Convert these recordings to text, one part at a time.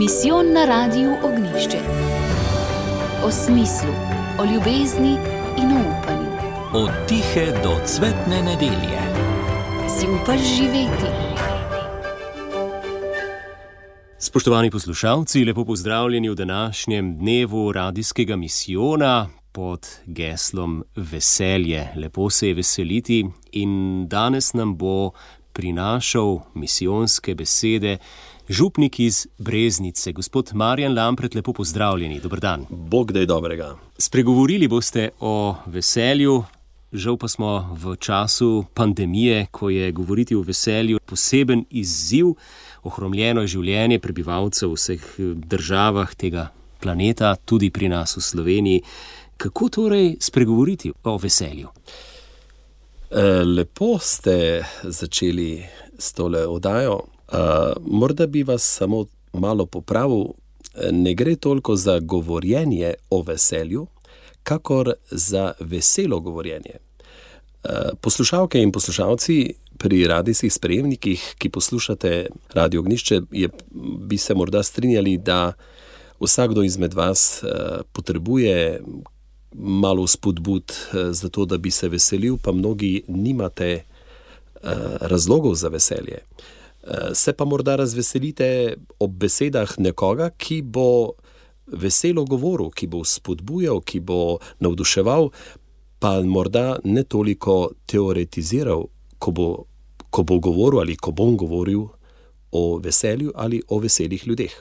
Misijon na Radiu Ognjišče. O smislu, o ljubezni in o upanju. Od tihe do cvetne nedelje. Si upaš živeti? Spoštovani poslušalci, lepo pozdravljeni v današnjem dnevu radijskega misijona pod geslom Veselje. Lepo se je veseliti in danes nam bo prinašal misijonske besede župnik iz Breznice, gospod Marjan Lampret. Lepo pozdravljeni, dober dan. Bog daj dobrega. Spregovorili boste o veselju, žal pa smo v času pandemije, ko je govoriti o veselju poseben izziv. Ohromljeno je življenje prebivalcev v vseh državah tega planeta, tudi pri nas v Sloveniji. Kako torej spregovoriti o veselju? Lepo ste začeli s tole oddajo. Morda bi vas samo malo popravil. Ne gre toliko za govorjenje o veselju, kakor za veselo govorjenje. Poslušalke in poslušalci pri radijskih sprejemnikih, ki poslušate Radio Ognjišče, bi se morda strinjali, da vsakdo izmed vas potrebuje malo spodbud za to, da bi se veselil, pa mnogi nimate razlogov za veselje. Se pa morda razveselite ob besedah nekoga, ki bo veselo govoril, ki bo spodbujal, ki bo navduševal, pa morda ne toliko teoretiziral, ko bo govoril ali ko bom govoril o veselju ali o veselih ljudeh.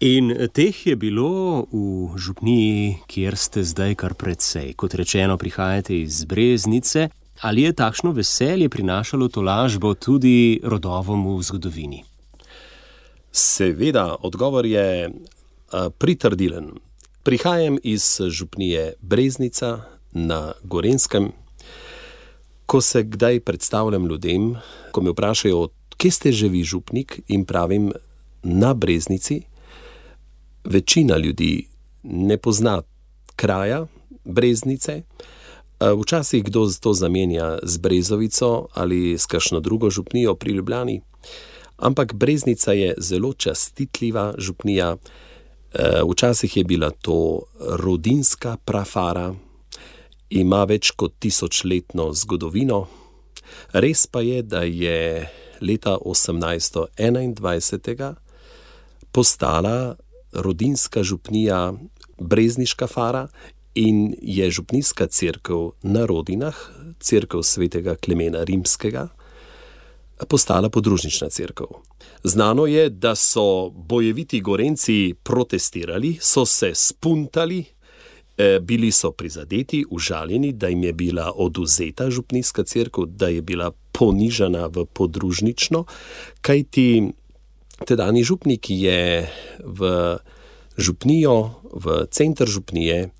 In teh je bilo v župniji, kjer ste zdaj kar precej. Kot rečeno, prihajate iz Breznice. Ali je takšno veselje prinašalo tolažbo tudi rodovom v zgodovini? Seveda, odgovor je pritrdilen. Prihajam iz župnije Breznica na Gorenjskem. Ko se kdaj predstavljam ljudem, ko me vprašajo, kje ste že vi župnik, in pravim na Breznici, večina ljudi ne pozna kraja Breznice. Včasih kdo to zamenja z Brezovico ali s kakšno drugo župnijo pri Ljubljani, ampak Breznica je zelo častitljiva župnija. Včasih je bila to rodinska prafara, ima več kot 1000-letno zgodovino. Res pa je, da je leta 1821 postala rodinska župnija Brezniška fara in je župnijska cerkev na Rodinah, cerkev svetega Klemena Rimskega, postala podružnična cerkev. Znano je, da so bojeviti Gorenjci protestirali, so se spuntali, bili so prizadeti, užaljeni, da jim je bila odvzeta župnijska cerkev, da je bila ponižana v podružnično, kajti tedajni župnik je v župnijo, v center župnije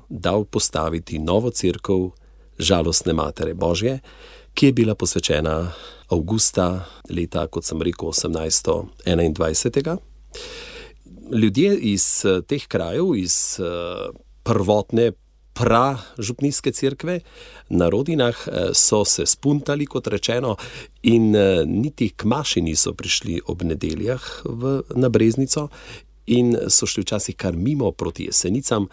dal postaviti novo cerkev Žalostne Matere Božje, ki je bila posvečena avgusta leta, kot sem rekel, 1821. Ljudje iz teh krajev, iz prvotne pražupnijske cerkve na Rodinah so se spuntali, kot rečeno, in niti k maši niso prišli ob nedeljah na Breznico in so šli včasih kar mimo proti Jesenicam,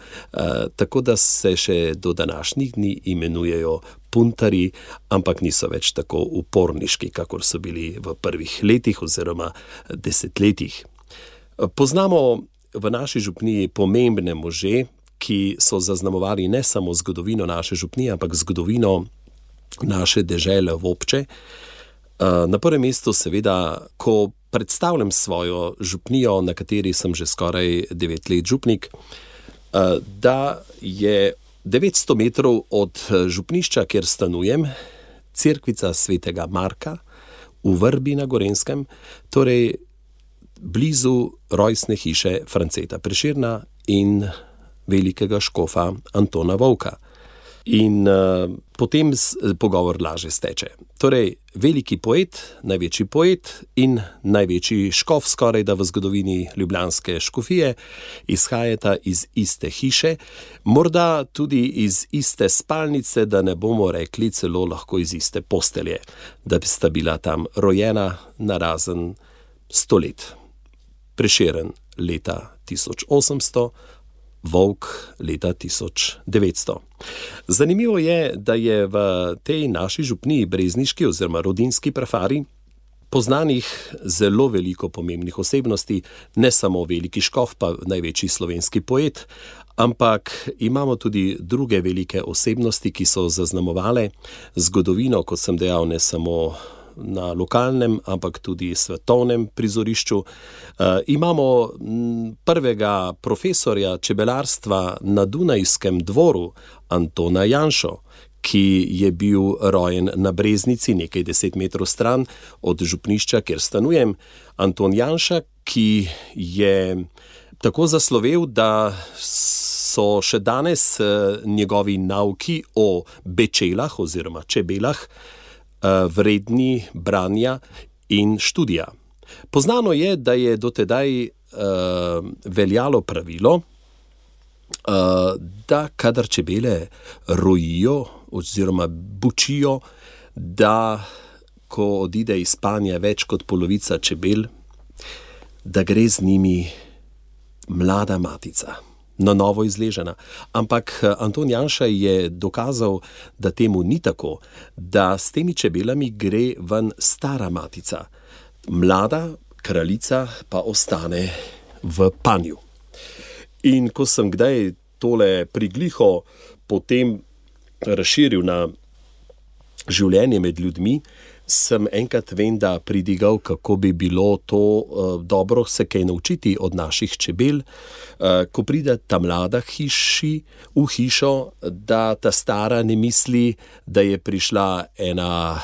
tako da se še do današnjih dni imenujejo puntari, ampak niso več tako uporniški, kakor so bili v prvih letih oziroma desetletjih. Poznamo v naši župniji pomembne može, ki so zaznamovali ne samo zgodovino naše župnije, ampak zgodovino naše dežele Vopče. Na prvem mestu seveda, ko predstavljam svojo župnijo, na kateri sem že skoraj 9 let župnik, da je 900 metrov od župnišča, kjer stanujem, cerkvica svetega Marka v Vrbi na Gorenjskem, torej blizu rojstne hiše Franceta Prešerna in velikega škofa Antona Vovka. In potem pogovor lažje steče. Torej, veliki poet, največji poet in največji škof skoraj da v zgodovini ljubljanske škofije izhajata iz iste hiše, morda tudi iz iste spalnice, da ne bomo rekli celo lahko iz iste postelje, da sta bila tam rojena narazen 100 let. Prešeren leta 1800, Volk leta 1900. Zanimivo je, da je v tej naši župniji brezniški oziroma rodinski prafari poznanih zelo veliko pomembnih osebnosti, ne samo veliki škof, pa največji slovenski poet, ampak imamo tudi druge velike osebnosti, ki so zaznamovale zgodovino, kot sem dejal, ne samo na lokalnem, ampak tudi svetovnem prizorišču. Imamo prvega profesorja čebelarstva na Dunajskem dvoru, Antona Janšo, ki je bil rojen na Breznici, nekaj 10 metrov stran od župnišča, kjer stanujem. Anton Janša, ki je tako zaslovel, da so še danes njegovi nauki o bečelah oziroma čebelah vredni branja in študija. Poznano je, da je dotedaj veljalo pravilo, da kadar čebele rojijo oziroma bučijo, da ko odide iz spanja več kot polovica čebel, da gre z njimi mlada matica, na novo izležena. Ampak Anton Janša je dokazal, da temu ni tako, da s temi čebelami gre ven stara matica. Mlada kraljica pa ostane v panju. In ko sem kdaj tole prigliho potem razširil na življenje med ljudmi, sem enkrat venda pridigal, kako bi bilo to dobro se kaj naučiti od naših čebel, ko pride ta mlada v hišo, da ta stara ne misli, da je prišla ena,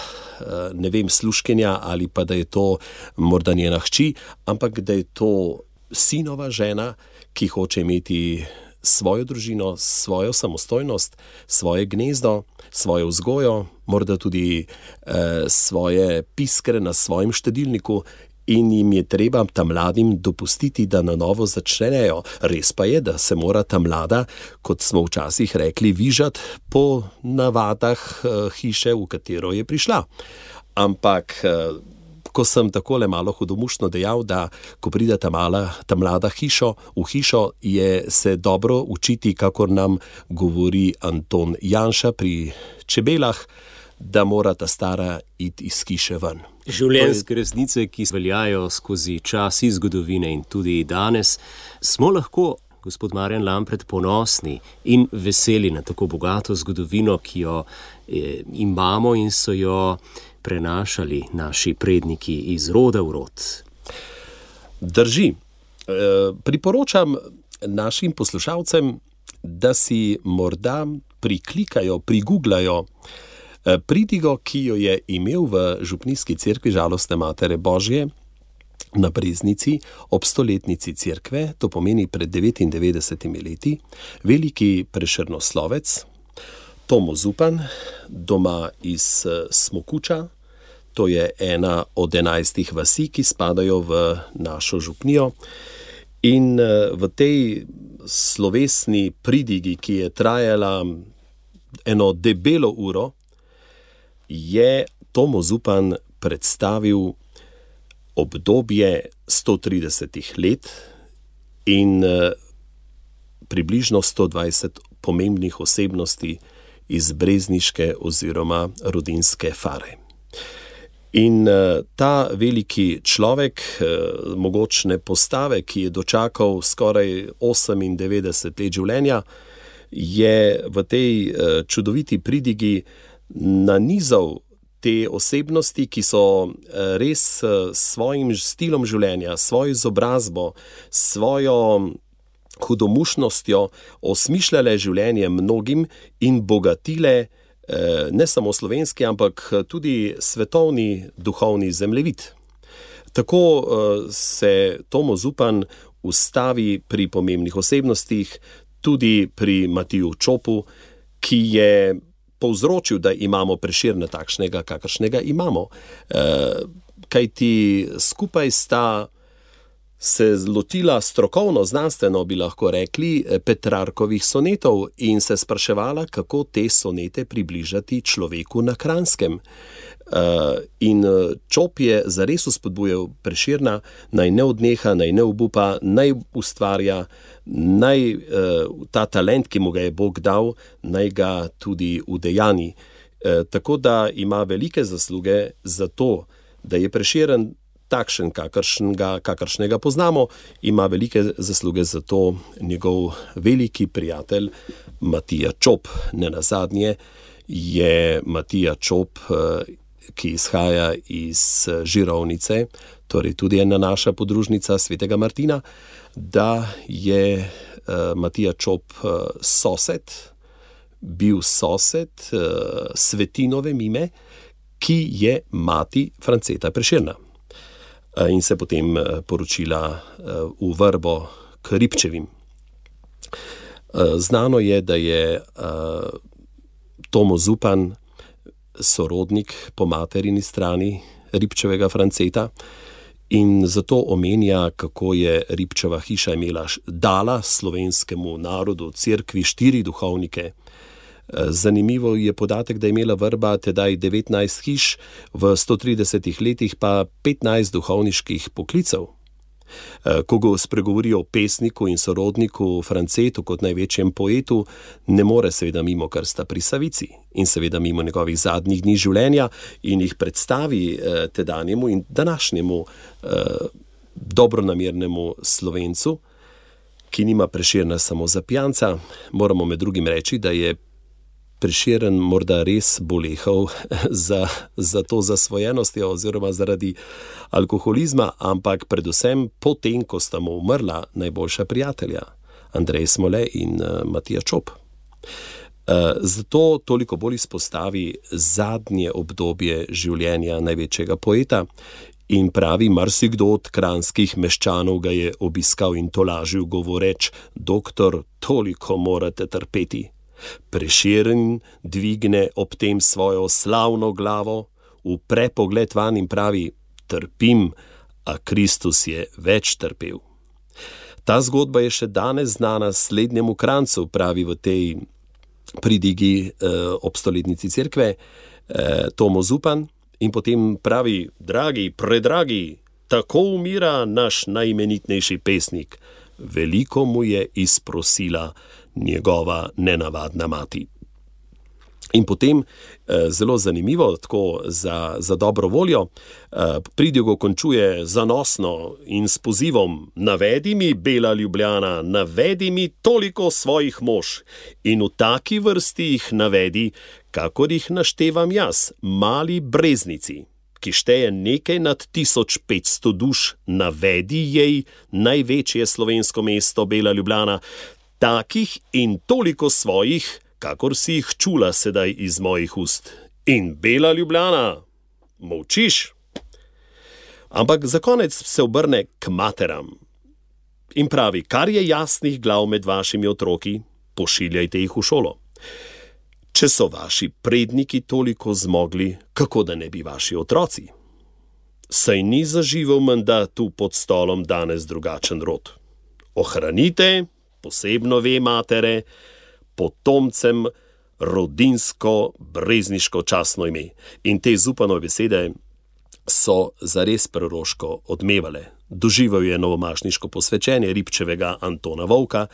ne vem, služkinja ali pa da je to morda njena hči, ampak da je to sinova žena, ki hoče imeti svojo družino, svojo samostojnost, svoje gnezdo, svojo vzgojo, morda tudi svoje piskre na svojem štedilniku, in jim je treba tam mladim dopustiti, da na novo začnejo. Res pa je, da se mora ta mlada, kot smo včasih rekli, vižati po navadah hiše, v katero je prišla. Ampak ko sem takole malo hudomušno dejal, da ko pride ta mlada v hišo, je se dobro učiti, kakor nam govori Anton Janša pri čebelah, da mora ta stara iti iz hiše ven. Življenjske resnice, ki veljajo skozi čas iz zgodovine in tudi danes, smo lahko, gospod Marjan Lampret, ponosni in veseli na tako bogato zgodovino, ki jo imamo in so jo prenašali naši predniki iz roda v rod. Drži. Priporočam našim poslušalcem, da si morda priklikajo, priguglajo pridigo, ki jo je imel v župnijski cerkvi Žalostne Matere Božje na Breznici ob 100-letnici cerkve, to pomeni pred 99 leti, veliki prešernoslovec Tomo Zupan, doma iz Smokuča. To je ena od 11 vasi, ki spadajo v našo župnijo. In v tej slovesni pridigi, ki je trajala eno debelo uro, je Tomo Zupan predstavil obdobje 130 let in približno 120 pomembnih osebnosti iz brezniške oziroma rodinske fare. In ta veliki človek, mogočne postave, ki je dočakal skoraj 98 let življenja, je v tej čudoviti pridigi nanizal te osebnosti, ki so res svojim stilom življenja, svojo izobrazbo, svojo hudomušnostjo osmišljale življenje mnogim in bogatile ne samo slovenski, ampak tudi svetovni duhovni zemljevid. Tako se Tomo Zupan ustavi pri pomembnih osebnostih, tudi pri Matiju Čopu, ki je povzročil, da imamo Prešerna takšnega, kakršnega imamo. Kajti skupaj sta se lotila strokovno, znanstveno bi lahko rekli, Petrarkovih sonetov in se spraševala, kako te sonete približati človeku na Kranjskem. In Čop je zares vzpodbujal Prešerna, naj ne odneha, naj ne obupa, naj ustvarja, naj ta talent, ki mu ga je Bog dal, naj ga tudi udejani. Tako da ima velike zasluge za to, da je Prešeren takšen, kakršnega poznamo, ima velike zasluge za to njegov veliki prijatelj Matija Čop. Nenazadnje je Matija Čop, ki izhaja iz Žirovnice, torej tudi ena naša podružnica svetega Martina, da je Matija Čop bil sosed Svetinove Mime, ki je mati Franceta Prešerna. In se potem poročila v Vrbo k Ribčevim. Znano je, da je Tomo Zupan sorodnik po materini strani Ribčevega Franceta in zato omenja, kako je Ribčeva hiša dala slovenskemu narodu, cerkvi 4 duhovnike. Zanimivo je podatek, da je imela Vrba tedaj 19 hiš, v 130 letih pa 15 duhovniških poklicev. Ko go spregovori o pesniku in sorodniku Francetu kot največjem poetu, ne more seveda mimo krsta pri Savici in seveda mimo njegovih zadnjih dni življenja in jih predstavi tedanjemu in današnjemu dobronamernemu Slovencu, ki nima Prešerna samo za pijanca. Moramo med drugim reči, da je Prešeren morda res bolehal za to zasvojenostjo oziroma zaradi alkoholizma, ampak predvsem potem, ko sta mu umrla najboljša prijatelja, Andrej Smole in Matija Čop. Zato toliko bolj izpostavi zadnje obdobje življenja največjega poeta in pravi, marsikdo od kranjskih meščanov ga je obiskal in tolažil, govoreč: doktor, toliko morate trpeti. Prešeren dvigne ob tem svojo slavno glavo, upre pogled van in pravi: trpim, a Kristus je več trpel. Ta zgodba je še danes znana slednjemu Kranjcu, pravi v tej pridigi ob stoletnici cerkve Tomo Zupan, in potem pravi: dragi, predragi, tako umira naš najimenitnejši pesnik. Veliko mu je izprosila njegova nenavadna mati. In potem, zelo zanimivo, tako za dobro voljo, pridigo končuje zanosno in s pozivom: navedi mi, bela Ljubljana, navedi mi toliko svojih mož in v taki vrsti jih navedi, kakor jih naštevam jaz, mali Breznici, ki šteje nekaj nad 1500 duš, navedi jej največje slovensko mesto, bela Ljubljana, takih in toliko svojih, kakor si jih čula sedaj iz mojih ust. In bela Ljubljana, molčiš? Ampak za konec se obrne k materam in pravi: kar je jasnih glav med vašimi otroki, pošiljajte jih v šolo. Če so vaši predniki toliko zmogli, kako da ne bi vaši otroci? Saj ni zaživel menda tu pod stolom danes drugačen rod. Ohranite, posebno ve matere, potomcem rodinsko, brezniško častno ime. In te Zupanove besede so zares proroško odmevale. Doživel je novomašniško posvečenje Ribčevega Antona Vovka,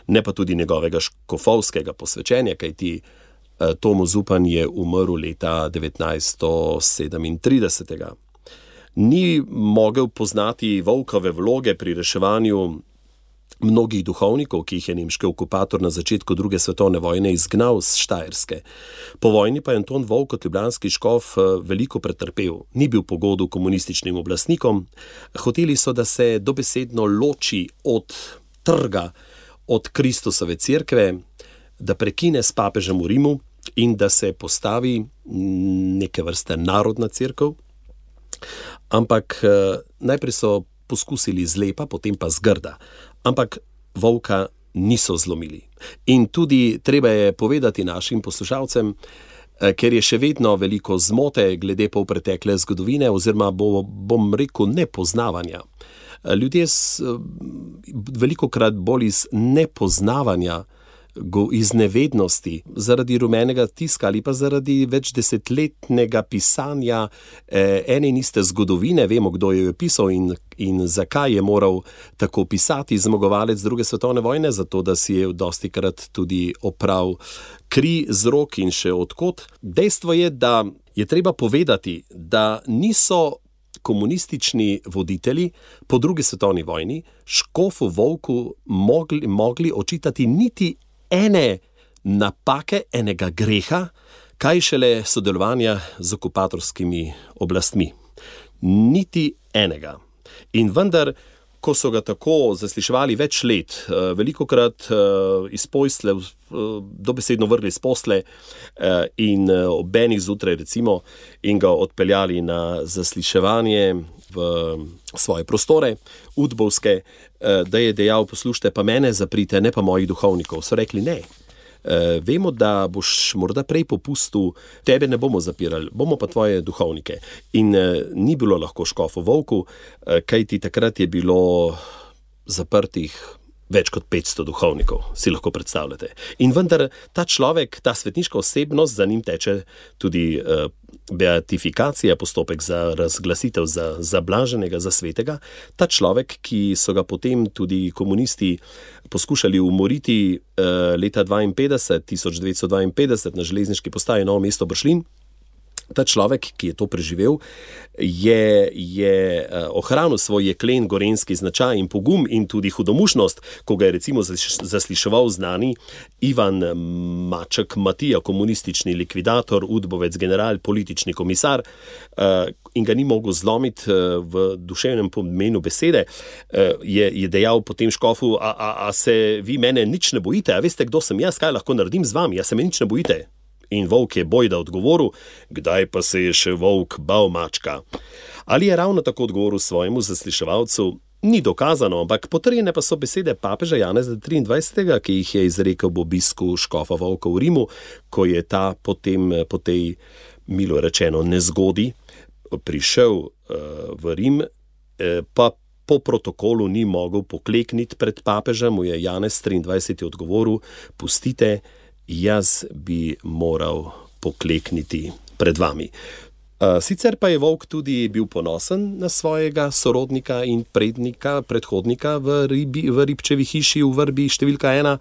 ne pa tudi njegovega škofovskega posvečenja, kajti Tomo Zupan je umrl leta 1937. Ni mogel poznati Vovkove vloge pri reševanju mnogih duhovnikov, ki jih je nemški okupator na začetku druge svetovne vojne izgnal z Štajerske. Po vojni pa je Anton Vovk kot ljubljanski škof veliko pretrpel. Ni bil po godu komunističnim oblastnikom. Hoteli so, da se dobesedno loči od trga, od Kristusove cerkve, da prekine s papežem v Rimu in da se postavi neke vrste narodna cerkev. Ampak najprej so poskusili zlepa, potem pa zgrda. Ampak Vovka niso zlomili. In tudi treba je povedati našim poslušalcem, ker je še vedno veliko zmote glede polpretekle zgodovine oziroma bom rekel nepoznavanja. Ljudje velikokrat bolj iz nepoznavanja, iz nevednosti, zaradi rumenega tiska ali pa zaradi več desetletnega pisanja ene in iste zgodovine, vemo, kdo jo je pisal in zakaj je moral tako pisati, zmagovalec druge svetovne vojne, zato da si je dostikrat tudi opral kri z rok in še odkot. Dejstvo je, da je treba povedati, da niso komunistični voditelji po drugi svetovni vojni škofu Volku mogli očitati niti ene napake, enega greha, kaj šele sodelovanja z okupatorskimi oblastmi. Niti enega. In vendar, ko so ga tako zasliševali več let, velikokrat iz posle, dobesedno vrgli iz posle in ob enih zjutraj recimo in ga odpeljali na zasliševanje v svoje prostore, udbovske, da je dejal, poslušajte, pa mene zaprite, ne pa mojih duhovnikov. So rekli ne. Vemo, da boš morda prej popustil, tebe ne bomo zapirali, bomo pa tvoje duhovnike. In ni bilo lahko škofu Volku, kajti takrat je bilo zaprtih več kot 500 duhovnikov, si lahko predstavljate. In vendar ta človek, ta svetniška osebnost, za njim teče tudi beatifikacija, postopek za razglasitev za blaženega, za svetega. Ta človek, ki so ga potem tudi komunisti poskušali umoriti leta 1952 na železniški postaji Novo mesto Bršljin, ta človek, ki je to preživel, je ohranil svoj jeklen gorenjski značaj in pogum in tudi hudomušnost, ko ga je recimo zasliševal znani Ivan Maček Matija, komunistični likvidator, udbovec, general, politični komisar, in ga ni mogel zlomiti v duševnem pomenu besede, je dejal potem škofu, a se vi mene nič ne bojite, a veste, kdo sem jaz, kaj lahko naredim z vami, a se me nič ne bojite. In volk je bojda odgovoril, kdaj pa se je še volk bal mačka. Ali je ravno tako odgovoril svojemu zasliševalcu, ni dokazano, ampak potrjene pa so besede papeža Janeza 23., ki jih je izrekel ob obisku škofa Volka v Rimu, ko je ta potem po tej, milo rečeno, nezgodi prišel v Rim, pa po protokolu ni mogel poklekniti pred papežem, mu je Janez 23. odgovoril, pustite, jaz bi moral poklekniti pred vami. Sicer pa je Volk tudi bil ponosen na svojega sorodnika in predhodnika v Ribčevi hiši v vrbi številka 1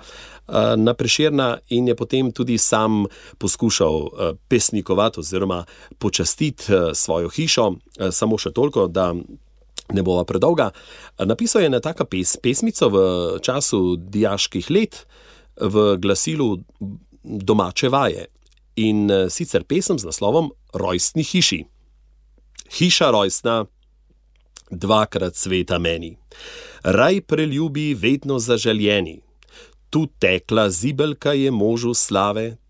na Prešerna in je potem tudi sam poskušal pesnikovati oziroma počastiti svojo hišo, samo še toliko, da ne bova predolga. Napisal je ena taka pesmico v času dijaških let, v glasilu Domače vaje in sicer pesem z naslovom Rojstni hiši. Hiša rojstna, dvakrat sveta meni, raj preljubi vedno zaželjeni, tu tekla zibelka je možu slave,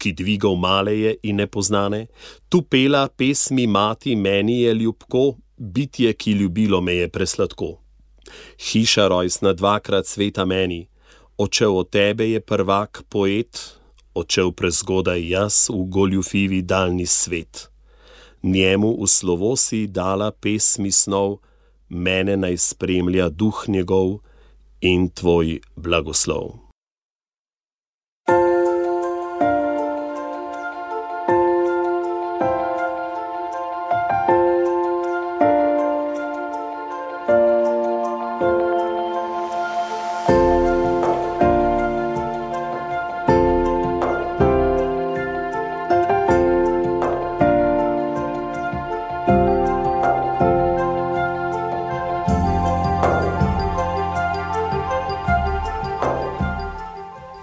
ki dvigal maleje in nepoznane, tu pela pesmi mati meni je ljubko, bitje, ki ljubilo me je presladko. Hiša rojstna, dvakrat sveta meni, odšel od tebe je prvak poet, odšel prezgodaj jaz v goljufivi daljni svet. Njemu v slovo si dala pesmi snov, mene naj spremlja duh njegov in tvoj blagoslov.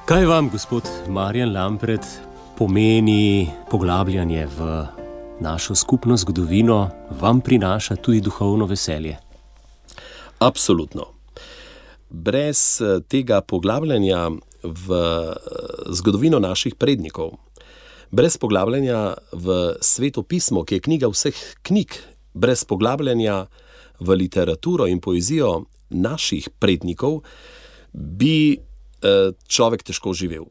Kaj vam, gospod Marjan Lampret, pomeni poglabljanje v našo skupno zgodovino, vam prinaša tudi duhovno veselje? Absolutno. Brez tega poglabljanja v zgodovino naših prednikov, brez poglabljanja v Sveto pismo, ki je knjiga vseh knjig, brez poglabljanja v literaturo in poezijo naših prednikov, bi človek težko živel.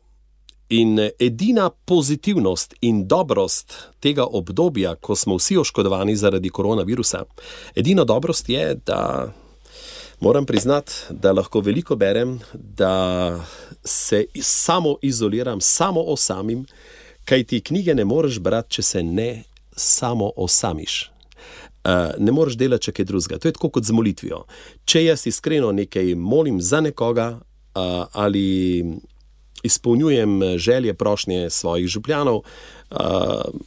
In edina pozitivnost in dobrost tega obdobja, ko smo vsi oškodovani zaradi koronavirusa, edina dobrost je, da Moram priznati, da lahko veliko berem, da se samo izoliram, samo osamim, kaj ti knjige ne moreš brati, če se ne samo osamiš. Ne moreš delati če kaj drugega. To je tako kot z molitvijo. Če jaz iskreno nekaj molim za nekoga ali izpolnjujem želje, prošnje svojih župljanov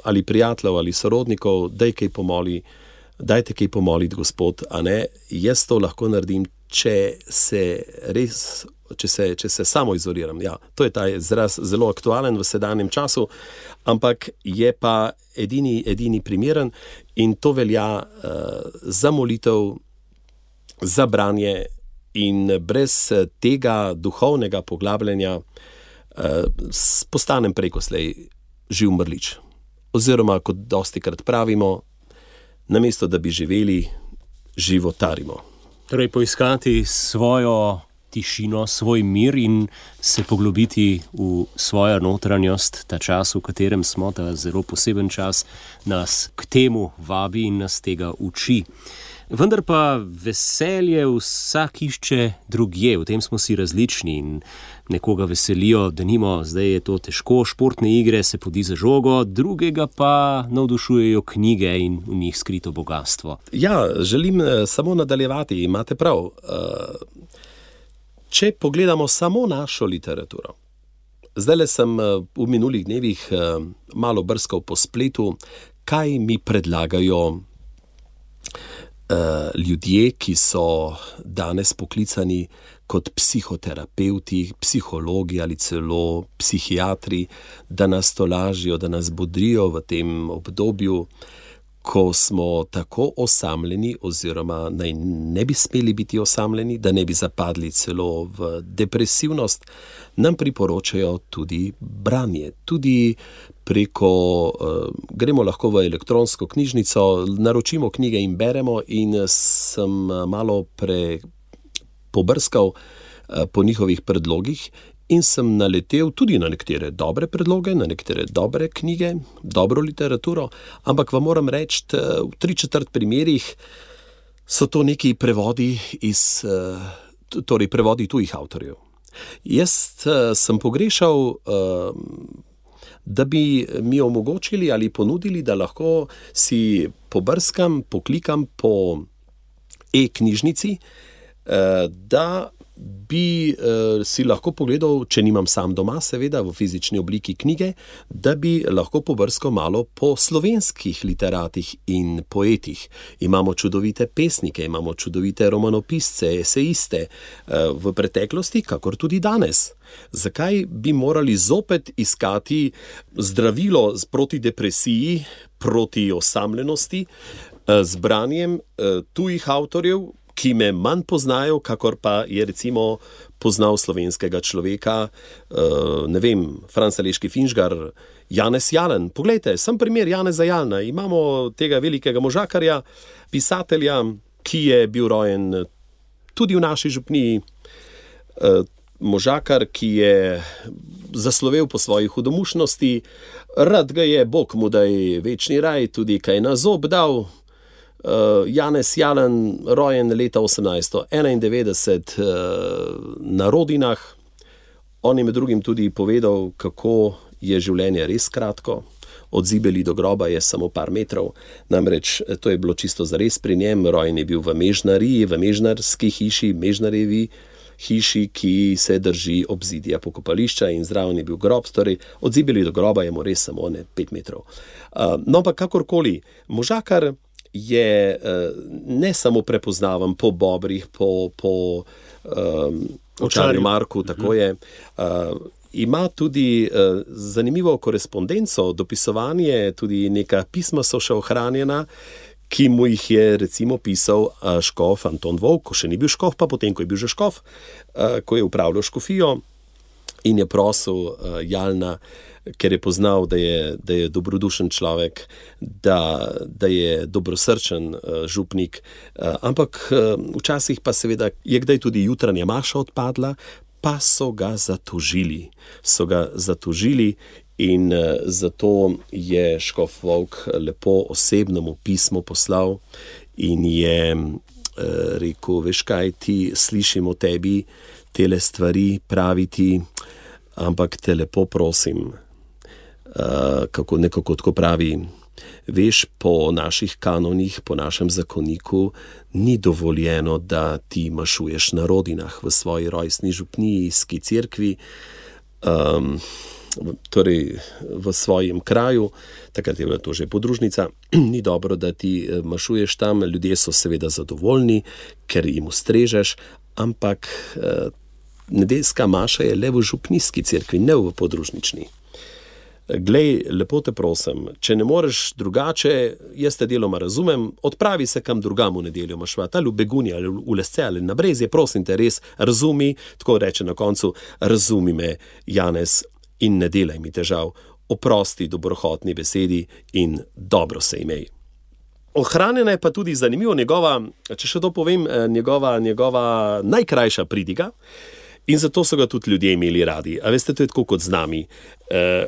ali prijateljev ali sorodnikov, dajte kaj pomoliti, Gospod, a ne, jaz to lahko naredim, če se samo izoliram. Ja, to je ta izraz zelo aktualen v sedanjem času, ampak je pa edini primeren in to velja za molitev, za branje in brez tega duhovnega poglabljanja postanem prej ko slej živ mrlič. Oziroma, kot dostikrat pravimo, namesto da bi živeli, životarimo. Torej, poiskati svojo tišino, svoj mir in se poglobiti v svojo notranjost, ta čas, v katerem smo, ta zelo poseben čas, nas k temu vabi in nas tega uči. Vendar pa veselje vsak išče drugje, v tem smo si različni in nekoga veselijo, denimo, zdaj je to težko, športne igre, se podi za žogo, drugega pa navdušujejo knjige in v njih skrito bogatstvo. Ja, želim samo nadaljevati, imate prav. Če pogledamo samo našo literaturo, zdajle sem v minulih dnevih malo brskal po spletu, kaj mi predlagajo ljudje, ki so danes poklicani kot psihoterapeuti, psihologi ali celo psihiatri, da nas tolažijo, da nas bodrijo v tem obdobju, ko smo tako osamljeni oziroma naj ne bi smeli biti osamljeni, da ne bi zapadli celo v depresivnost, nam priporočajo tudi branje. Tudi gremo lahko v elektronsko knjižnico, naročimo knjige in beremo in sem malo pobrskal po njihovih predlogih in sem naletel tudi na nekatere dobre predloge, na nekatere dobre knjige, dobro literaturo, ampak vam moram reči, v 3/4 primerih so to neki prevodi prevodi tujih avtorjev. Jaz sem pogrešal, da bi mi omogočili ali ponudili, da lahko si pobrskam, poklikam po e-knjižnici, da bi si lahko pogledal, če nimam sam doma, seveda v fizični obliki knjige, da bi lahko pobrskal malo po slovenskih literatih in poetih. Imamo čudovite pesnike, imamo čudovite romanopisce, esejiste v preteklosti, kakor tudi danes. Zakaj bi morali zopet iskati zdravilo proti depresiji, proti osamljenosti, z branjem tujih avtorjev, ki me manj poznajo, kakor pa je recimo poznal slovenskega človeka, ne vem, Franc Aleški Finžgar, Janez Jalen. Poglejte, sem primer Janeza Jalna. Imamo tega velikega možakarja, pisatelja, ki je bil rojen tudi v naši župniji, možakar, ki je zaslovel po svoji hudomušnosti, rad ga je, Bog mu daj večni raj, tudi kaj na zob dal. Janez Jalen, rojen leta 1891 na Rodinah. On je med drugim tudi povedal, kako je življenje res kratko. Od Zibeli do groba je samo par metrov. Namreč to je bilo čisto zares pri njem. Rojen je bil v Mežnariji, v mežnarski hiši, Mežnarjevi hiši, ki se drži obzidja pokopališča, in zraven je bil grob. Torej, od Zibeli do groba je mu res samo 5 metrov. No, pa kakorkoli, možakar je ne samo prepoznaven po Bobrih, po Očarju Marku, tako je, ima tudi zanimivo korespondenco, dopisovanje, tudi neka pisma so še ohranjena, ki mu jih je recimo pisal škof Anton Volk, ko še ni bil škof, pa potem, ko je bil že škof, ko je upravljal škofijo in je prosil Jalna, ker je poznal, da je dobrodušen človek, da je dobrosrčen župnik, ampak včasih pa seveda je kdaj tudi jutranja maša odpadla, pa so ga zatožili. In zato je škof Volk lepo osebnemu pismo poslal in je rekel, veš kaj, ti slišim o tebi tele stvari praviti, ampak te lepo prosim, nekako tako pravi, veš, po naših kanonih, po našem zakoniku ni dovoljeno, da ti mašuješ na rodinah v svoji rojstni župnijski cerkvi, torej v svojem kraju, takrat je bila to že podružnica, ni dobro, da ti mašuješ tam, ljudje so seveda zadovoljni, ker jim ustrežeš, ampak nedeljska maša je le v župnijski cerkvi, ne v podružnični. Glej, lepo te prosim, če ne moreš drugače, jaz te deloma razumem, odpravi se kam drugam v nedeljo mašvat, ali v Begunji, ali v Lesce, ali na Brezje, prosim te res, razumi, tako reče na koncu, razumi me, Janez, in ne delaj mi težav, oprosti dobrohotni besedi in dobro se imej. Ohranjena je pa tudi zanimivo njegova, če še to povem, njegova najkrajša pridiga, in zato so ga tudi ljudje imeli radi. A veste, to je tako kot z nami.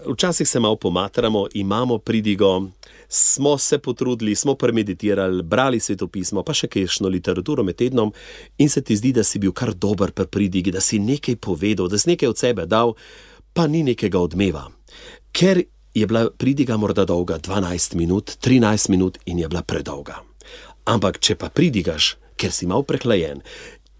Včasih se malo pomatramo, imamo pridigo, smo se potrudili, smo premeditirali, brali svetopismo, pa še kakšno literaturo med tednom in se ti zdi, da si bil kar dober pri pridigi, da si nekaj povedal, da si nekaj od sebe dal, pa ni nekega odmeva. Ker je bila pridiga morda dolga 12 minut, 13 minut in je bila predolga. Ampak če pa pridigaš, ker si malo prehlajen,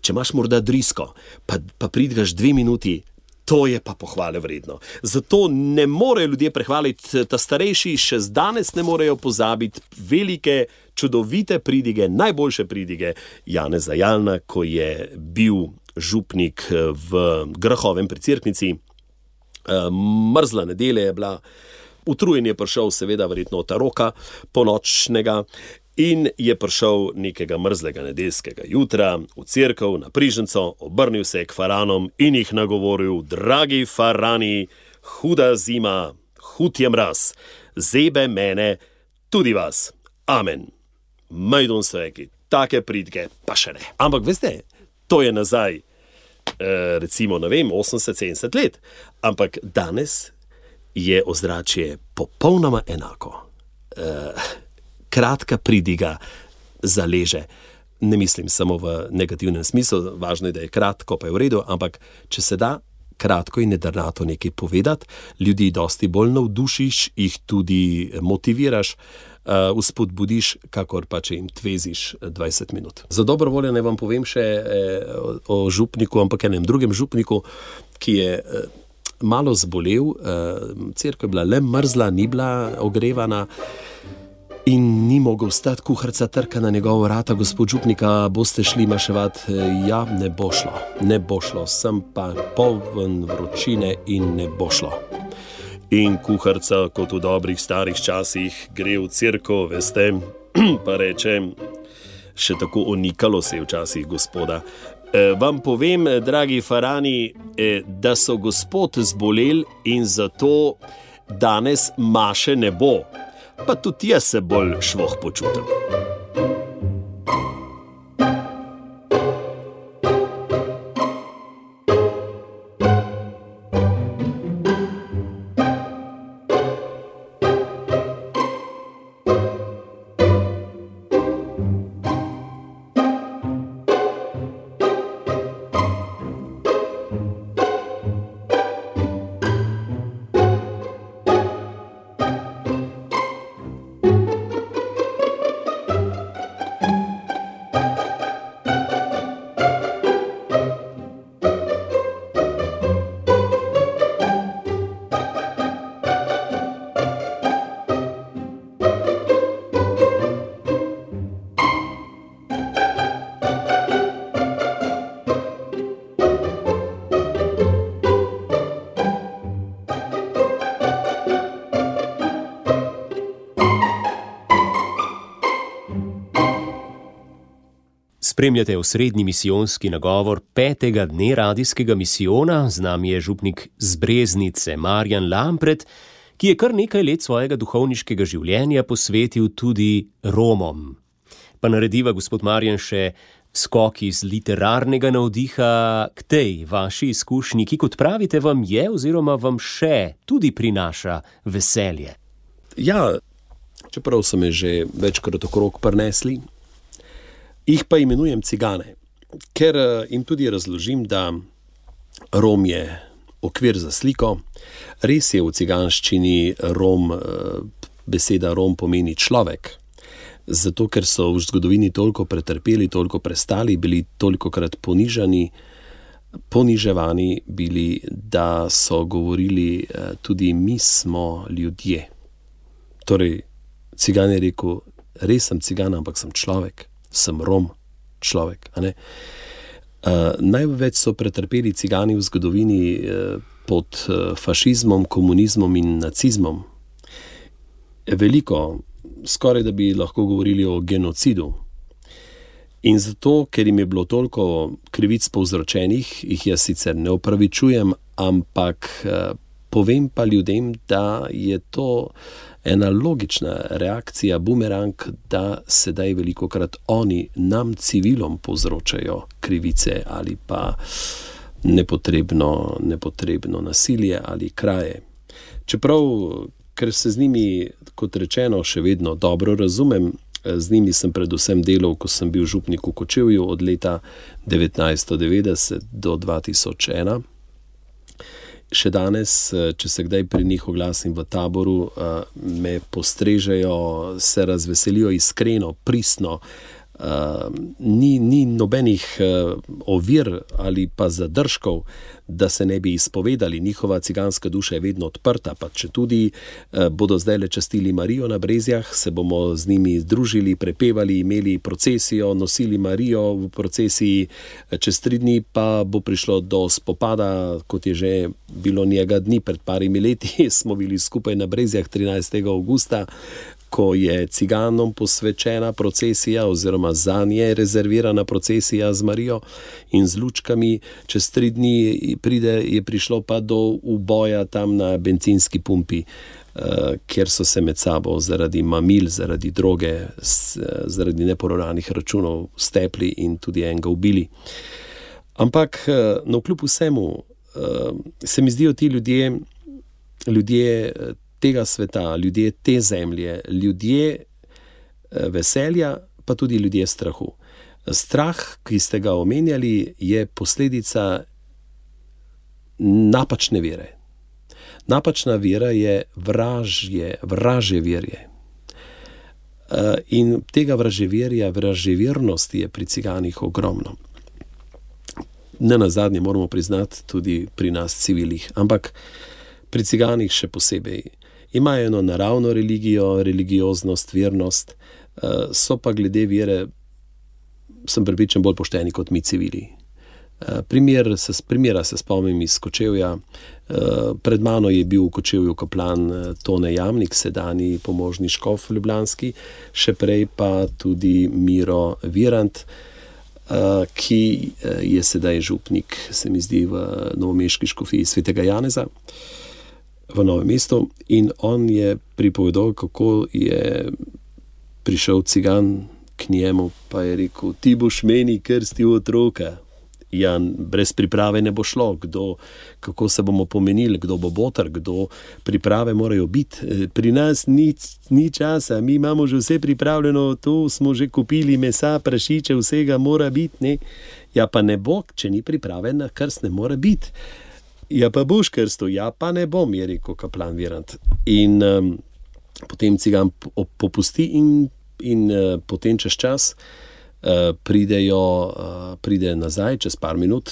če imaš morda drisko, pa pridigaš 2 minuti, to je pa pohvale vredno. Zato ne morejo ljudje prehvaliti, ta starejši še danes ne morejo pozabiti velike, čudovite pridige, najboljše pridige Janeza Jalna, ko je bil župnik v Grahovem pri Cerknici. Mrzla nedelja je bila, utrujen je prišel seveda verjetno od taroka ponočnega in je prišel nekega mrzlega nedeljskega jutra v cerkev na Priženco, obrnil se je k faranom in jih nagovoril: dragi farani, huda zima, hud je mraz, zebe mene, tudi vas. Amen. Majdun so rekli, take pridge pa še ne. Ampak veste, to je nazaj, recimo, ne vem, 80-70 let. Ampak danes je ozračje popolnoma enako. Kratka pridiga zaleže. Ne mislim samo v negativnem smislu, važno je, da je kratko, pa je v redu, ampak če se da kratko in nedrnato nekaj povedati, ljudi dosti bolj navdušiš, jih tudi motiviraš, vzpodbudiš, kakor pa če jim tveziš 20 minut. Za dobro voljo ne vam povem še o župniku, ampak enem drugem župniku, ki je malo zbolel, cerkev je bila le mrzla, ni bila ogrevana, in ni mogel stati, kuharica trka na njegovo vrata: gospod župnika, boste šli maševat? Ja, ne bo šlo, sem pa poln vročine in ne bo šlo. In kuharica, kot v dobrih starih časih, gre v cerkev, veste, pa reče, še tako onikalo se je včasih gospoda: vam povem, dragi farani, da so gospod zbolel in zato danes maše ne bo. Pa tudi jaz se bolj švoh počutim. Spremljate osrednji misijonski nagovor 5. dne radijskega misijona, z nami je župnik z Breznice Marjan Lampret, ki je kar nekaj let svojega duhovniškega življenja posvetil tudi Romom. Pa narediva, gospod Marjan, še skok iz literarnega navdiha k tej vaši izkušnji, ki, kot pravite, vam je oziroma vam še tudi prinaša veselje. Ja, čeprav so me že večkrat okrog prinesli, Jih pa imenujem cigane, ker jim tudi razložim, da Rom je okvir za sliko. Res je v ciganščini beseda Rom pomeni človek, zato ker so v zgodovini toliko pretrpeli, toliko prestali, bili tolikokrat poniževani bili, da so govorili tudi mi smo ljudje. Torej, cigan je rekel, res sem cigan, ampak sem človek, sem Rom, človek. A ne? Največ so pretrpeli cigani v zgodovini pod fašizmom, komunizmom in nacizmom. Veliko, skoraj da bi lahko govorili o genocidu. In zato, ker jim je bilo toliko krivic povzročenih, jih jaz sicer ne opravičujem, ampak povem pa ljudem, da je to ena logična reakcija, bumerang, da sedaj velikokrat oni nam civilom povzročajo krivice ali pa nepotrebno nasilje ali kraje. Čeprav, ker se z njimi, kot rečeno, še vedno dobro razumem, z njimi sem predvsem delal, ko sem bil župnik v Kočevju od leta 1990 do 2001. Še danes, če se kdaj pri njih oglasim v taboru, me postrežejo, se razveselijo iskreno, pristno. Ni nobenih ovir ali pa zadržkov, da se ne bi izpovedali. Njihova ciganska duša je vedno odprta, pa če tudi bodo zdaj le častili Marijo na Brezjah, se bomo z njimi združili, prepevali, imeli procesijo, nosili Marijo v procesiji, čez 3 dni pa bo prišlo do spopada, kot je že bilo njega dni pred parimi leti, smo bili skupaj na Brezjah 13. augusta, ko je ciganom posvečena procesija oziroma zanje rezervirana procesija z Marijo in z lučkami. Čez 3 dni je prišlo pa do uboja tam na bencinski pumpi, kjer so se med sabo zaradi mamil, zaradi droge, zaradi neporavnanih računov stepli in tudi enega ubili. Ampak navkljub vsemu se mi zdijo ti ljudje tega sveta, ljudje te zemlje, ljudje veselja, pa tudi ljudje strahu. Strah, ki ste ga omenjali, je posledica napačne vere. Napačna vera je vraževerje. In tega vraževernosti je pri ciganih ogromno. Nenazadnje moramo priznati tudi pri nas civilih, ampak pri ciganih še posebej. Imajo eno naravno religijo, religioznost, vernost, so pa glede vere, sem prepričan, bolj pošteni kot mi civili. Primera se spomnim iz Kočevja. Pred mano je bil v Kočevju kaplan Tone Jamnik, sedanji pomožni škof ljubljanski, še prej pa tudi Miro Virant, ki je sedaj župnik, se mi zdi, v novomeški škofiji Svetega Janeza v Novem mestu, in on je pripovedal, kako je prišel cigan k njemu, pa je rekel: ti boš meni krstil otroka. Ja, brez priprave ne bo šlo. Kako se bomo pomenili, kdo bo boter, priprave morajo biti. Pri nas ni časa, mi imamo že vse pripravljeno, to smo že kupili, mesa, prašiče, vsega mora biti, ne. Ja, pa ne bo, če ni priprave na krst, ne mora biti. Ja, pa boš krstil, ja, pa ne bom, je rekel kaplan Virant. In potem cigan popusti in potem čez čas pride nazaj čez par minut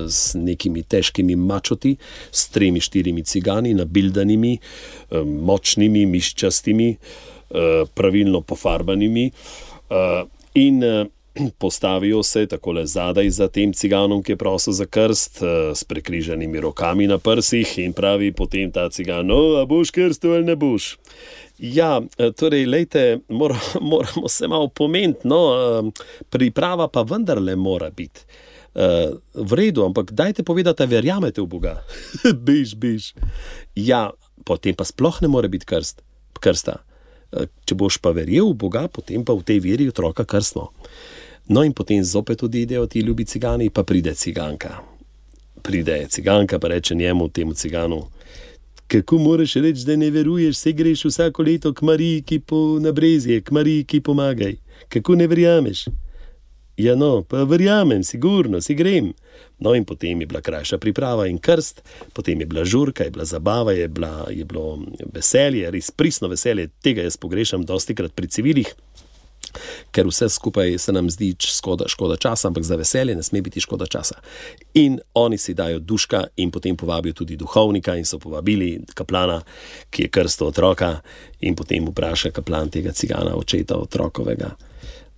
z nekimi težkimi mačoti, s 3-4 cigani, nabildanimi, močnimi, miščastimi, pravilno pofarbanimi, in postavijo se takole zadaj za tem ciganom, ki je prosil za krst, s prekrižanimi rokami na prsih, in pravi potem ta cigan: no, a boš krstil ali ne boš? Ja, torej, lejte, moramo se malo pomeniti, no, priprava pa vendarle mora biti. V redu, ampak dajte povedati, da verjamete v Boga. Biš. Ja, potem pa sploh ne more biti krsta. Če boš pa verjel v Boga, potem pa v tej veri otroka krstno. No, in potem zopet odidejo ti ljubi cigani, pa pride ciganka. Pa reče njemu, temu ciganu: kako moraš reči, da ne veruješ, se greš vsako leto k Mariji, na Brezje, k Mariji, ki pomagaj. Kako ne verjameš? Ja, no, pa verjamem, sigurno, si grem. No, in potem je bila krajša priprava in krst, potem je bila žurka, je bila zabava, je bilo veselje, res pristno veselje, tega jaz pogrešam dostikrat pri civilih, ker vse skupaj se nam zdi škoda časa, ampak za veselje ne sme biti škoda časa. In oni si dajo duška in potem povabijo tudi duhovnika in so povabili kaplana, ki je krstil otroka, in potem vpraša kaplan tega cigana, očeta otrokovega.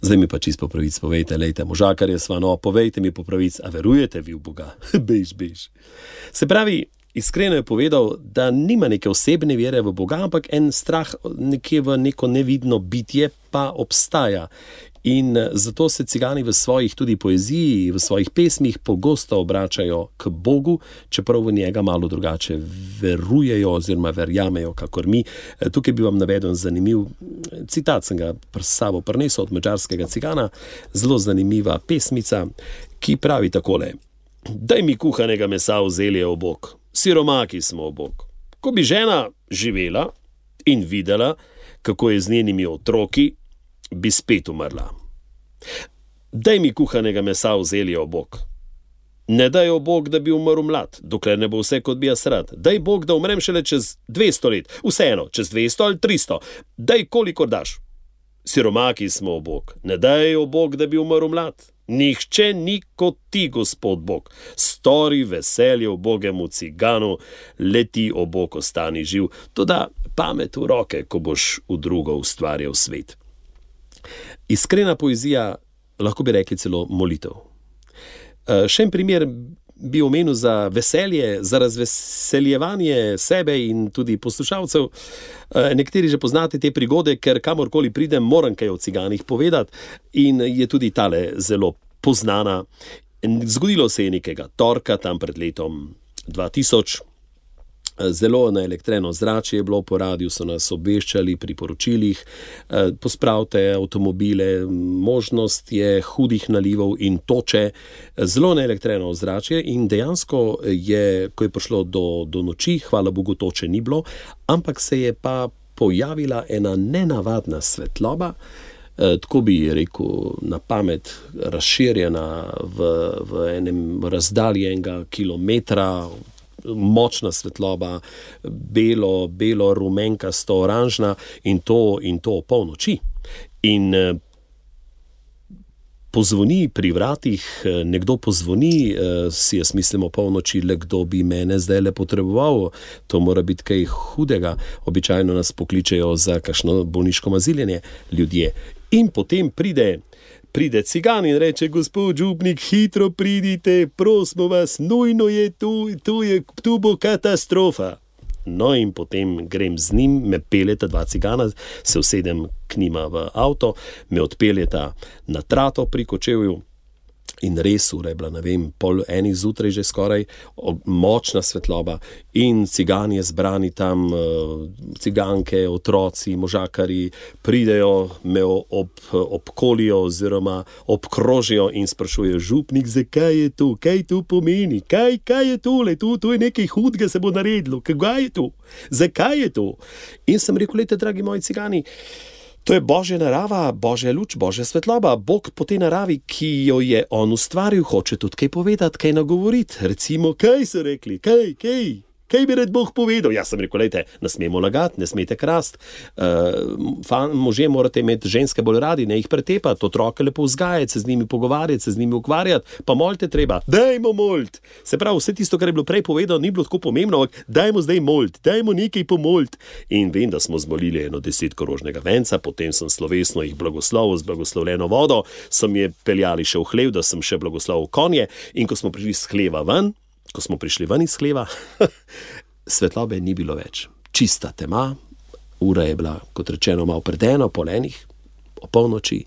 Zdaj mi pa čisto po pravic povejte, lejte, možakarje sva, no, povejte mi po pravic, a verujete vi v Boga? Bež. Se pravi, iskreno je povedal, da nima neke osebne vere v Boga, ampak en strah nekje v neko nevidno bitje pa obstaja. In zato se cigani v svojih tudi poeziji, v svojih pesmih pogosto obračajo k Bogu, čeprav v njega malo drugače verujejo oziroma verjamejo, kakor mi. Tukaj bi vam navedel zanimiv citat, sem ga s sabo prinesel od madžarskega cigana, zelo zanimiva pesmica, ki pravi takole: Daj mi kuhanega mesa v zelje obok, siromaki smo obok. Ko bi žena živela in videla, kako je z njenimi otroki, bi spet umrla. Daj mi kuhanega mesa v zelje obok. Ne daj obok, da bi umrl mlad, dokler ne bo vse, kot bi jaz rad. Daj Bog, da umrem šele čez 200 let, vseeno, čez 200 ali 300. Daj, kolikor daš. Siromaki smo obok. Ne daj obok, da bi umrl mlad. Nihče ni kot ti, Gospod Bog. Stori veselje ubogemu ciganu, leti obok ostani živ. Toda pamet v roke, ko boš v drugo ustvarjal svet. Iskrena poezija, lahko bi rekli celo molitev. Še en primer bi omenil za veselje, za razveseljevanje sebe in tudi poslušalcev. Nekateri že poznate te prigode, ker kamorkoli pridem, moram kaj o ciganih povedati, in je tudi tale zelo poznana. Zgodilo se je nekega torka, tam pred letom 2000. Zelo naelektreno zračje je bilo, po radiju so nas obveščali pri poročilih, pospravite avtomobile, možnost je hudih nalivov in toče, zelo naelektreno zračje, in dejansko je, ko je prišlo do noči, hvala Bogu toče ni bilo, ampak se je pa pojavila ena nenavadna svetloba, tako bi rekel na pamet, razširjena v enem razdalji enega kilometra, močna svetloba, belo, rumenkasto, oranžna, in to polnoči. In pozvoni pri vratih, nekdo pozvoni, si jaz mislim o polnoči, le kdo bi mene zdaj le potreboval, to mora biti kaj hudega, običajno nas pokličejo za kakšno bolniško maziljenje ljudje. In potem pride cigan in reče: Gospod župnik, hitro pridite, prosimo vas, nujno je tu bo katastrofa. No, in potem grem z njim, me peljeta dva cigana, se usedem k njima v avto, me odpeljeta na trato pri Kočevju. In res, ura je bila, ne vem, 1:30 zjutraj že skoraj, močna svetloba, in cigani zbrani tam, ciganke, otroci, možakari, pridejo, me obkolijo oziroma obkrožijo in sprašujejo: župnik, zakaj je to, kaj to pomeni, kaj je tole, to je nekaj hudega se bo naredilo, kaj je to, zakaj je to? In sem rekel: lejte, dragi moji cigani, to je Božja narava, Božja luč, Božja svetloba. Bog po tej naravi, ki jo je on ustvaril, hoče tudi kaj povedati, kaj nagovoriti. Recimo, kaj so rekli, kaj bi rad Bog povedal? Jaz sem rekel: lejte, ne smemo lagati, ne smete krasti, možje morate imeti ženske bolj radi, ne jih pretepati, otroke lepo vzgajati, se z njimi pogovarjati, se z njimi ukvarjati, pa molite treba. Dajmo moliti. Se pravi, vse tisto, kar je bilo prej povedano, ni bilo tako pomembno, ampak dajmo zdaj moliti, dajmo nekaj pomoliti. In vem, da smo zmolili 10 korožnega venca, potem sem slovesno jih blagoslovil z blagoslovljeno vodo, so mi je peljali še v hlev, da sem še blagoslovil konje, in ko smo prišli ven iz hleva, svetlobe ni bilo več. Čista tema, ura je bila, kot rečeno, malo pred 1:00, o polnoči,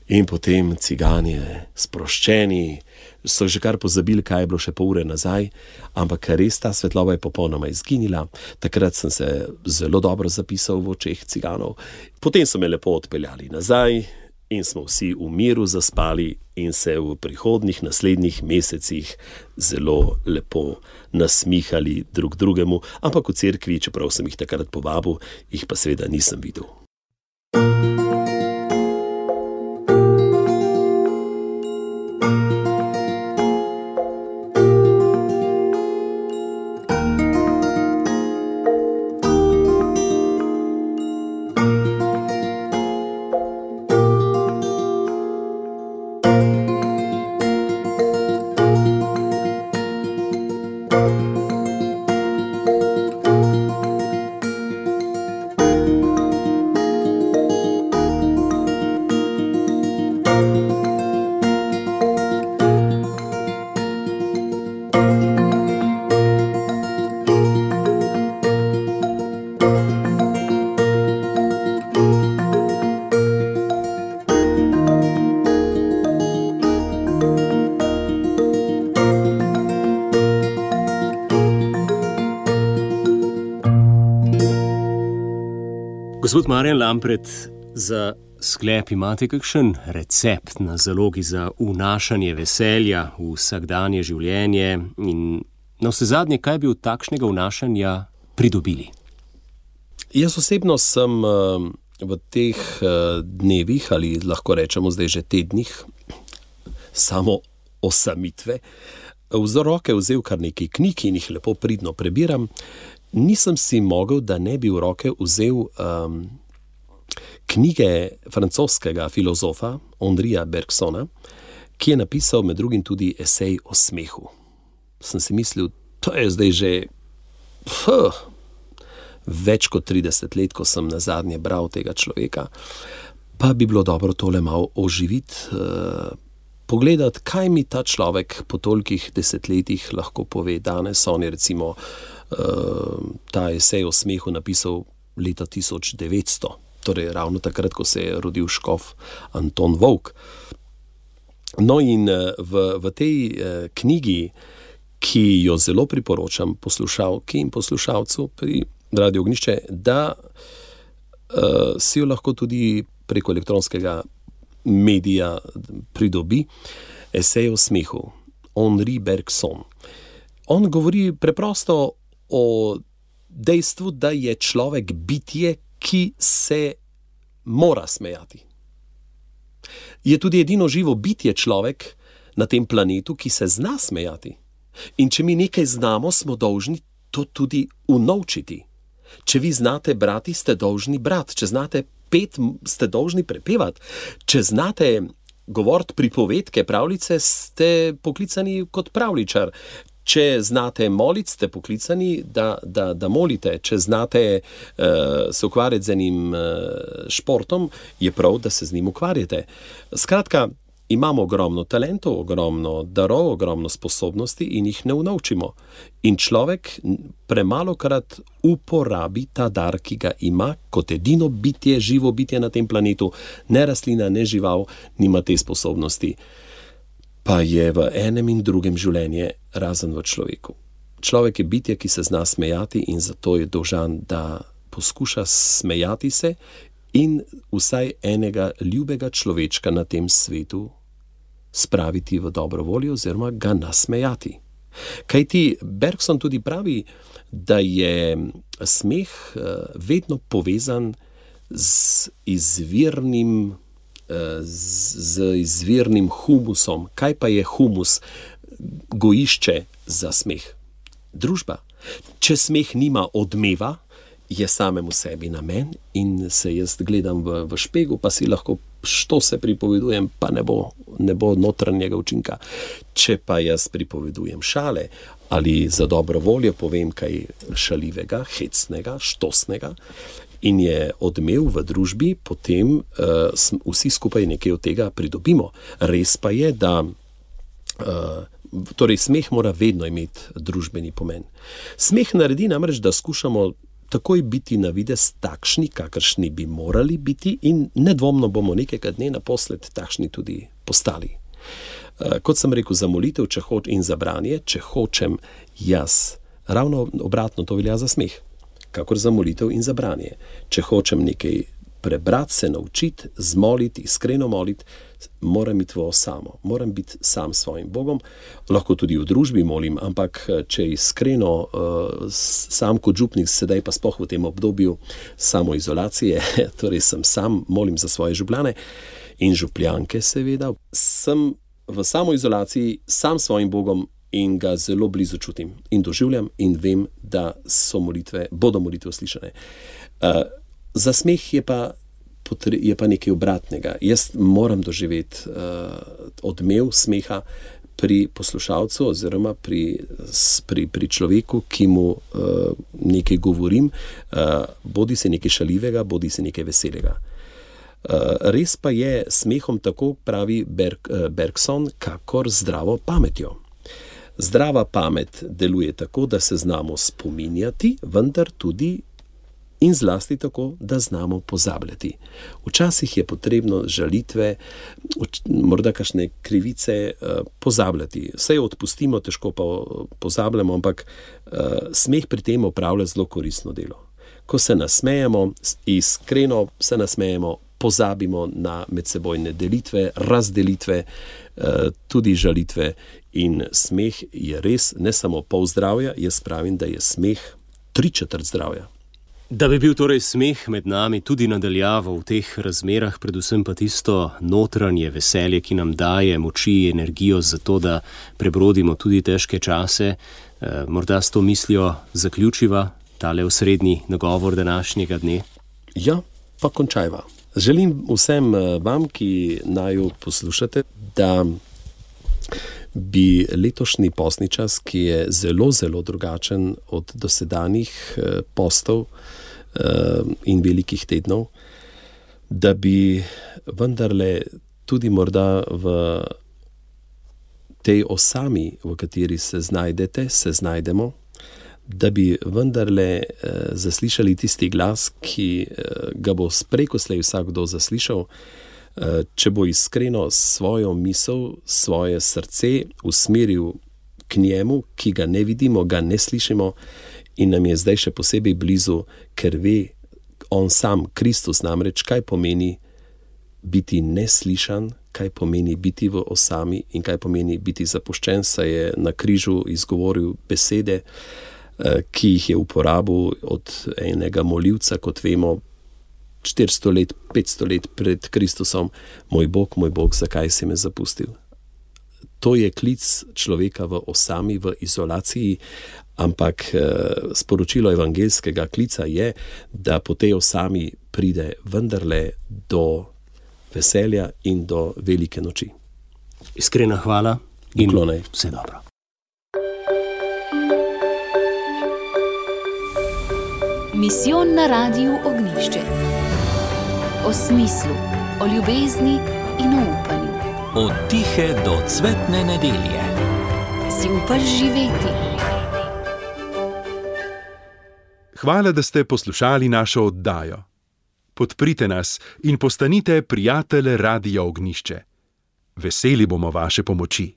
in potem cigani sproščeni, so že kar pozabili, kaj je bilo še pol ure nazaj, ampak res ta svetloba je popolnoma izginila. Takrat sem se zelo dobro zapisal v očeh ciganov. Potem so me lepo odpeljali nazaj in smo vsi v miru zaspali in se v prihodnjih naslednjih mesecih zelo lepo nasmihali drug drugemu, ampak v cerkvi, čeprav sem jih takrat povabil, jih pa seveda nisem videl. Gospod Marjan Lampret, za sklep imate kakšen recept na zalogi za vnašanje veselja v vsakdanje življenje in na vsezadnje, kaj bi od takšnega vnašanja pridobili? Jaz osebno sem v teh dnevih, ali lahko rečemo zdaj že tednih, samo osamitve, v roke vzel kar nekaj knjig in jih lepo pridno prebiram. Nisem si mogel, da ne bi v roke vzel knjige francoskega filozofa Henrija Bergsona, ki je napisal med drugim tudi esej o smehu. Sem si mislil, to je zdaj že več kot 30 let, ko sem nazadnje bral tega človeka, pa bi bilo dobro tole malo oživiti, pogledati, kaj mi ta človek po tolikih desetletjih lahko pove danes. On je recimo ta esej o smehu napisal leta 1900, torej ravno takrat, ko se je rodil škof Anton Volk. No in v tej knjigi, ki jo zelo priporočam poslušalki in poslušalcu pri Radio Ognjišče, da si jo lahko tudi preko elektronskega medija pridobi, esej o smehu, Henri Bergson. On govori preprosto o dejstvu, da je človek bitje, ki se mora smejati. Je tudi edino živo bitje človek na tem planetu, ki se zna smejati. In če mi nekaj znamo, smo dolžni to tudi unovčiti. Če vi znate brati, ste dolžni brati. Če znate pet, ste dolžni prepevati. Če znate govoriti pripovedke, pravljice, ste poklicani kot pravljičar. Če znate moliti, ste poklicani, da molite. Če znate se ukvarjati z enim športom, je prav, da se z njim ukvarjate. Skratka, imamo ogromno talentov, ogromno darov, ogromno sposobnosti in jih ne unovčimo. In človek premalokrat uporabi ta dar, ki ga ima kot edino bitje, živo bitje na tem planetu. Ne rastlina, ne žival nima te sposobnosti. Pa je v enem in drugem življenje razen v človeku. Človek je bitje, ki se zna smejati in zato je dolžan, da poskuša smejati se in vsaj enega ljubega človečka na tem svetu spraviti v dobro voljo oziroma ga nasmejati. Kajti Bergson tudi pravi, da je smeh vedno povezan z izvirnim humusom. Kaj pa je humus? Gojišče za smeh. Družba. Če smeh nima odmeva, je samemu sebi namen in se jaz gledam v špegu, pa si lahko što se pripovedujem, pa ne bo notranjega učinka. Če pa jaz pripovedujem šale ali za dobro voljo povem kaj šaljivega, hecnega, štosnega in je odmev v družbi, potem vsi skupaj nekaj od tega pridobimo. Res pa je, da torej smeh mora vedno imeti družbeni pomen. Smeh naredi namreč, da skušamo takoj biti na videz takšni, kakršni bi morali biti in nedvomno bomo nekega dne naposled takšni tudi postali. Kot sem rekel, za molitev in za branje, če hočem jaz, ravno obratno to velja za smeh, kakor za molitev in za branje. Če hočem nekaj prebrati, se naučiti, zmoliti, iskreno moliti, moram iti v osamo, moram biti sam s svojim Bogom, lahko tudi v družbi molim, ampak če iskreno sam kot župnik, sedaj pa sploh v tem obdobju samoizolacije, torej sem sam, molim za svoje župljane in župljanke seveda, sem v samoizolaciji sam s svojim Bogom in ga zelo blizu čutim in doživljam in vem, da bodo molitve slišane. Za smeh je pa nekaj obratnega. Jaz moram doživeti odmev smeha pri poslušalcu oziroma pri človeku, ki mu nekaj govorim, bodi se nekaj šaljivega, bodi se nekaj veselega. Res pa je smehom tako, pravi Bergson, kakor zdravo pametjo. Zdrava pamet deluje tako, da se znamo spominjati, vendar tudi in zlasti tako, da znamo pozabljati. Včasih je potrebno žalitve, morda kakšne krivice pozabljati. Vse jo odpustimo, težko pa pozabljamo, ampak smeh pri tem opravlja zelo koristno delo. ko se nasmejemo, iskreno se nasmejemo, pozabimo na medsebojne delitve, razdelitve, tudi žalitve. In smeh je res ne samo pol zdravja, jaz pravim, da je smeh 3/4 zdravja. Da bi bil torej smeh med nami tudi nadaljavo v teh razmerah, predvsem pa tisto notranje veselje, ki nam daje moči, energijo za to, da prebrodimo tudi težke čase. Morda s to mislijo zaključiva tale osrednji nagovor današnjega dne? Ja, pa končajva. Želim vsem vam, ki naju poslušate, da bi letošnji postni čas, ki je zelo, zelo drugačen od dosedanjih postov in velikih tednov, da bi vendarle tudi morda v tej osami, v kateri se znajdemo, da bi vendarle zaslišali tisti glas, ki ga bo sprekoslej vsakdo zaslišal, če bo iskreno svojo misel, svoje srce usmeril k njemu, ki ga ne vidimo, ga ne slišimo in nam je zdaj še posebej blizu, ker ve on sam, Kristus namreč, kaj pomeni biti neslišan, kaj pomeni biti v osami in kaj pomeni biti zapuščen, saj je na križu izgovoril besede, ki jih je uporabil od enega molivca, kot vemo, 400 let, 500 let pred Kristusom, moj Bog, zakaj si me zapustil? To je klic človeka v osami, v izolaciji, ampak sporočilo evangeljskega klica je, da po tej osami pride vendarle do veselja in do velike noči. Iskrena hvala in Uklonaj. Vse dobro. Misijon na Radiu Ognjišče. O smislu, o ljubezni in o upanju. Od tihe do cvetne nedelje. Si upaš živeti? Hvala, da ste poslušali našo oddajo. Podprite nas in postanite prijatelj Radia Ognjišče. Veseli bomo vaše pomoči.